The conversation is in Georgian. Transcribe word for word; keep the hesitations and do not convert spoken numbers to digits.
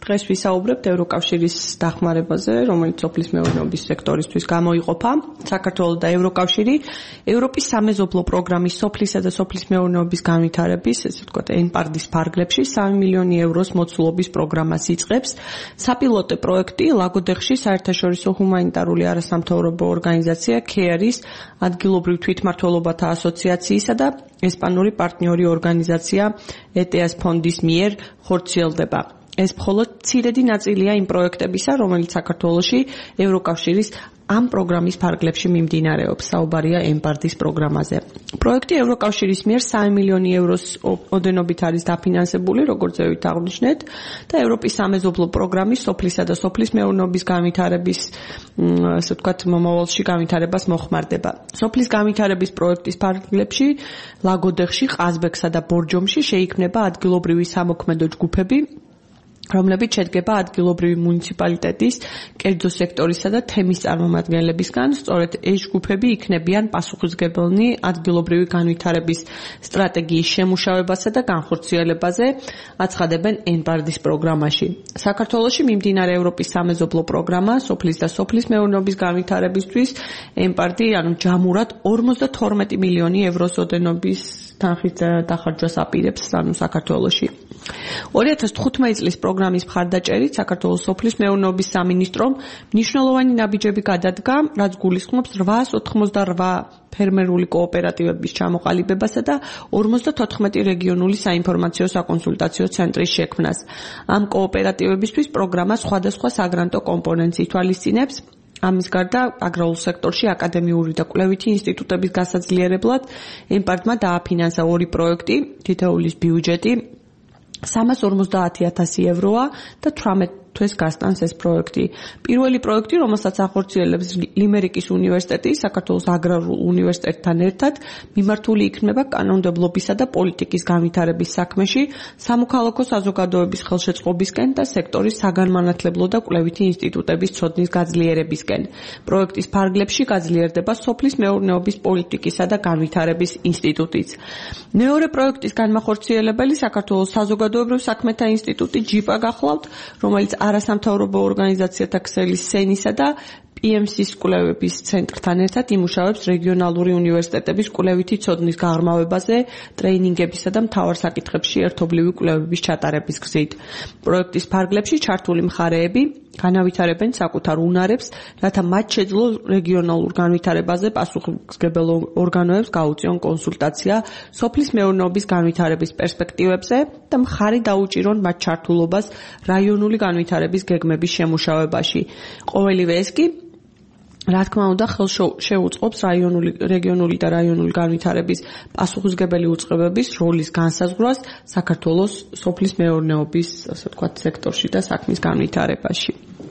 დღეს ვისაუბრებთ ევროკავშირის დახმარებაზე, რომელიც სოფლის მეურნეობის სექტორისთვის გამოიყოფა. საქართველო და ევროკავშირი ევროპის სამეზობლო პროგრამის სოფლისა და სოფლის მეურნეობის განვითარების, ესე ვთქვათ, ენპარდის ფარგლებში სამი მილიონი ევროს მოცულობის პროგრამას იწყებს. საპილოტო პროექტი ლაგოდეხში საერთაშორისო ჰუმანიტარული არასამთავრობო ორგანიზაცია ქეარის ადგილობრივ თვითმმართველობათა ასოციაციისა და ესპანური პარტნიორი ორგანიზაცია ეტეას ფონდის მიერ ხორციელდება. ეს მხოლოდ მცირედი ნაწილია იმ პროექტებისა, რომელიც საქართველოში ევროკავშირის ამ პროგრამის ფარგლებში მიმდინარეობს. საუბარია ემპარდის პროგრამაზე. პროექტი ევროკავშირის მიერ სამი მილიონი ევროს ოდენობით არის დაფინანსებული, როგორც ზევით აღნიშნეთ, და ევროპის სამეზობლო პროგრამის სოფლისა და სოფლის მეურნეობის განვითარების, ასე ვთქვათ, მომავალში განვითარებას მოხმარდება. სოფლის განვითარების პროექტის ფარგლებში ლაგოდეხში, ყაზბეგსა და ბორჯომში შეიქმნება ადგილობრივი სამოქმედო ჯგუფები, რომლებიც შედგება ადგილობრივი მუნიციპალიტეტის, კერძო სექტორისა და თემის წარმომადგენლებისგან. სწორედ ეს ჯგუფები იქნებიან პასუხისმგებელნი ადგილობრივი განვითარების სტრატეგიის შემუშავებასა და განხორციელებაზე, აცხადებენ ენპარდის პროგრამაში. საქართველოში მიმდინარე ევროპის სამეზობლო პროგრამა სოფლის და სოფლის მეურნეობის განვითარებისთვის ენპარდი, ანუ ჯამურად ორმოცდათორმეტი მილიონი ევროს ოდენობის თანხით დახარჯვას აპირებს, ანუ საქართველოში. ორი ათას თხუთმეტი წლის პროგრამის მხარდაჭერით საქართველოს სოფლის მეურნეობის სამინისტრომ მნიშვნელოვანი ნაბიჯები გადადგა, რაც გულისხმობს რვაას ოთხმოცდარვა ფერმერული კოოპერატივების ჩამოყალიბებასა და ორმოცდათოთხმეტი რეგიონული საინფორმაციო საკონსულტაციო ცენტრის შექმნას. ამ კოოპერატივებისთვის პროგრამა სხვადასხვა საგრანტო კომპონენტს ითვალისწინებს. ამის გარდა აგრარულ სექტორში აკადემიური და კვლევითი ინსტიტუტების გასაძლიერებლად ენპარდმა დააფინანსა ორი პროექტი, თითოეულის ბიუჯეტი სამას ორმოცდაათი ათასი ევროა და თვრამეტ თვეს გასტანს ეს პროექტი. პირველი პროექტი, რომელსაც ახორციელებს ლიმერიკის უნივერსიტეტი, საქართველოს აგრარულ უნივერსიტეტთან ერთად, მიმართული იქნება კანონმდებლობისა და პოლიტიკის განვითარების საქმეში, სამოქალაქო საზოგადოების ხელშეწყობისკენ და სექტორის საგანმანათლებლო და კვლევითი ინსტიტუტების ცოდნის გაძლიერებისკენ. პროექტის ფარგლებში გაძლიერდება სოფლის მეურნეობის პოლიტიკისა და განვითარების ინსტიტუტიც. მეორე პროექტის განმახორციელებელი საქართველოს საზოგადოებრივ საქმეთა ინსტიტუტი ჯიპა გახლავთ, რომელიც არასამთავრობო ორგანიზაციათა ქსელის სენისა და პი ემ სის კვლევების ცენტრთან ერთად იმუშავებს რეგიონალური უნივერსიტეტების კვლევითი ცოდნის გაღრმავებაზე, ტრეინინგებისა და მთავარ საკითხებში ერთობლივი კვლევების ჩატარების გზით. პროექტის ფარგლებში ჩართული მხარეები განავითარებენ საკუთარ უნარებს, რათა მათ შეძლო რეგიონალურ განვითარებაზე პასუხისმგებელ ორგანოებს გაუწიონ კონსულტაცია სოფლის მეურნეობის განვითარების პერსპექტივებზე და მხარი დაუჭირონ მათ ჩართულობას რაიონული განვითარების გეგმების შემუშავებაში. ყოველივე ეს კი რა თქმა უნდა ხელს შეუწყობს რაიონული, რეგიონული და რაიონული განვითარების პასუხისმგებელი უწყებების როლის განსაზღვრას საქართველოს სოფლის მეურნეობის, ასე ვთქვათ, სექტორში და საქმის განვითარებაში.